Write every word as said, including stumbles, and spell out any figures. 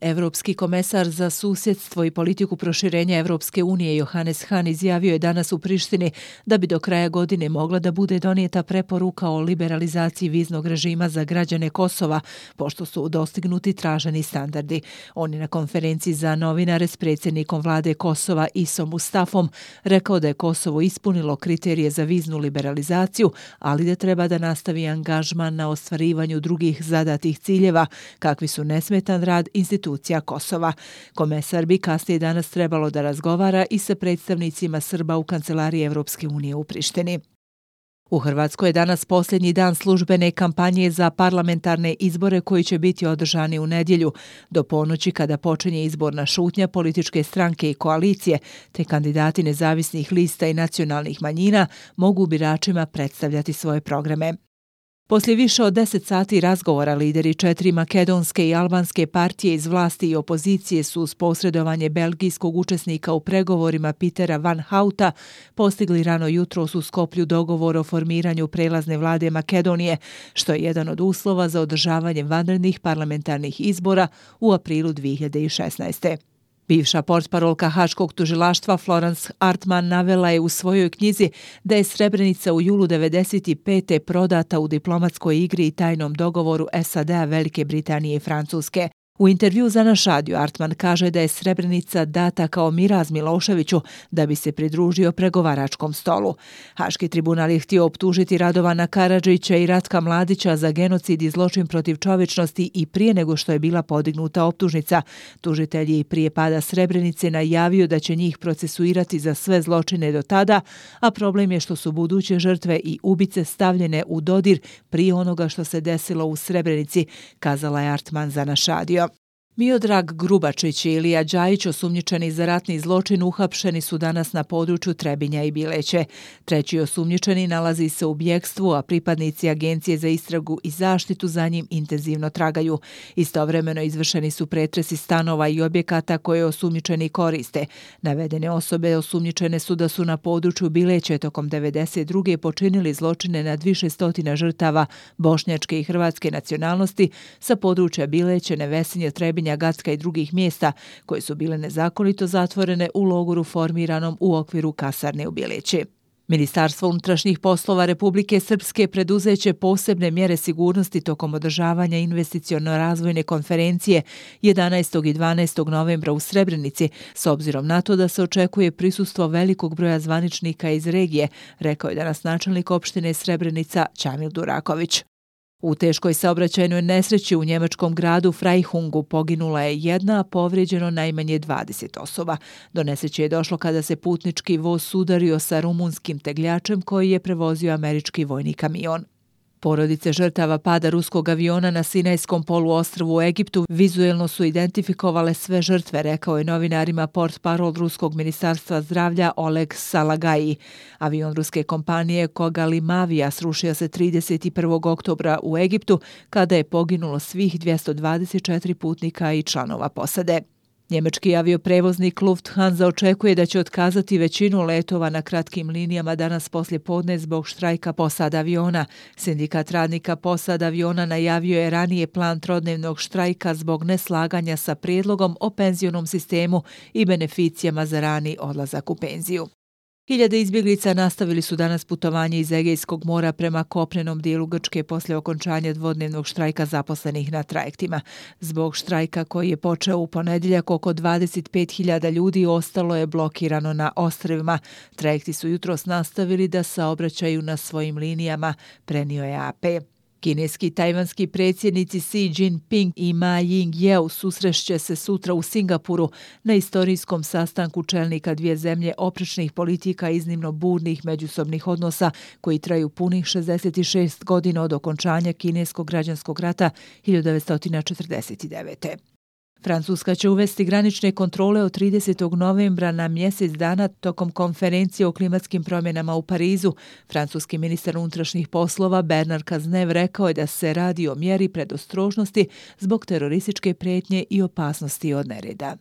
Evropski komesar za susjedstvo i politiku proširenja Evropske unije Johannes Hahn izjavio je danas u Prištini da bi do kraja godine mogla da bude donijeta preporuka o liberalizaciji viznog režima za građane Kosova, pošto su dostignuti traženi standardi. On je na konferenciji za novinare s predsjednikom vlade Kosova Isom Mustafom rekao da je Kosovo ispunilo kriterije za viznu liberalizaciju, ali da treba da nastavi angažman na ostvarivanju drugih zadatih ciljeva, kakvi su nesmetan rad institucija Kosova. Komesar bi kasnije danas trebalo da razgovara i sa predstavnicima Srba u kancelariji Evropske unije u Prištini. U Hrvatskoj je danas posljednji dan službene kampanje za parlamentarne izbore koji će biti održani u nedjelju, do ponoći kada počinje izborna šutnja političke stranke i koalicije, te kandidati nezavisnih lista i nacionalnih manjina mogu biračima predstavljati svoje programe. Poslije više od deset sati razgovora lideri četiri makedonske i albanske partije iz vlasti i opozicije su uz posredovanje belgijskog učesnika u pregovorima Petera Van Houta postigli rano jutros u Skoplju dogovor o formiranju prelazne vlade Makedonije, što je jedan od uslova za održavanje vanrednih parlamentarnih izbora u aprilu dvije hiljade šesnaeste. Bivša portparolka Haškog tužilaštva Florence Artman navela je u svojoj knjizi da je Srebrenica u julu devedeset pete prodata u diplomatskoj igri i tajnom dogovoru S A D-a, Velike Britanije i Francuske. U intervju za naš radio Artman kaže da je Srebrenica data kao miraz Miloševiću da bi se pridružio pregovaračkom stolu. Haški tribunal je htio optužiti Radovana Karadžića i Ratka Mladića za genocid i zločin protiv čovječnosti i prije nego što je bila podignuta optužnica. Tužitelj je i prije pada Srebrenice najavio da će njih procesuirati za sve zločine do tada, a problem je što su buduće žrtve i ubice stavljene u dodir prije onoga što se desilo u Srebrenici, kazala je Artman za naš radio. Miodrag Grubačić i Ilija Đajić, osumnjičeni za ratni zločin, uhapšeni su danas na području Trebinja i Bileće. Treći osumnjičeni nalazi se u bjekstvu, a pripadnici Agencije za istragu i zaštitu za njim intenzivno tragaju. Istovremeno izvršeni su pretresi stanova i objekata koje osumnjičeni koriste. Navedene osobe osumnjičene su da su na području Bileće tokom devedeset druge počinili zločine nad više stotina žrtava bošnjačke i hrvatske nacionalnosti sa područja Bileće, Nevesinje, Trebinja, Gacka i drugih mjesta koje su bile nezakonito zatvorene u logoru formiranom u okviru kasarne u Bileći. Ministarstvo unutrašnjih poslova Republike Srpske preduzeće posebne mjere sigurnosti tokom održavanja investiciono-razvojne konferencije jedanaestog i dvanaestog novembra u Srebrenici, s obzirom na to da se očekuje prisustvo velikog broja zvaničnika iz regije, rekao je danas načelnik opštine Srebrenica Ćamil Duraković. U teškoj saobraćajnoj nesreći u njemačkom gradu Freihungu poginula je jedna, a povrijeđeno najmanje dvadeset osoba. Do nesreće je došlo kada se putnički voz sudario sa rumunskim tegljačem koji je prevozio američki vojni kamion. Porodice žrtava pada ruskog aviona na Sinajskom poluostrvu u Egiptu vizuelno su identifikovale sve žrtve, rekao je novinarima portparol ruskog ministarstva zdravlja Oleg Salagaji. Avion ruske kompanije Kogalimavija srušio se trideset prvog oktobra u Egiptu kada je poginulo svih dvjesto dvadeset četiri putnika i članova posade. Njemački avioprevoznik Lufthansa očekuje da će otkazati većinu letova na kratkim linijama danas poslje podne zbog štrajka posada aviona. Sindikat radnika posada aviona najavio je ranije plan trodnevnog štrajka zbog neslaganja sa prijedlogom o penzionom sistemu i beneficijama za rani odlazak u penziju. Hiljade izbjeglica nastavili su danas putovanje iz Egejskog mora prema kopnenom dijelu Grčke poslije okončanja dvodnevnog štrajka zaposlenih na trajektima. Zbog štrajka koji je počeo u ponedjeljak, oko dvadeset pet hiljada ljudi ostalo je blokirano na ostrvima. Trajekti su jutros nastavili da saobraćaju na svojim linijama, prenio je A P. Kineski i tajvanski predsjednici Xi Jinping i Ma Ying-jeou susrešće se sutra u Singapuru na istorijskom sastanku čelnika dvije zemlje oprečnih politika iznimno burnih međusobnih odnosa koji traju punih šezdeset šest godina od okončanja kineskog građanskog rata hiljadu devetsto četrdeset devete. Francuska će uvesti granične kontrole od tridesetog novembra na mjesec dana tokom konferencije o klimatskim promjenama u Parizu. Francuski ministar unutrašnjih poslova Bernard Cazeneuve rekao je da se radi o mjeri predostrožnosti zbog terorističke prijetnje i opasnosti od nereda.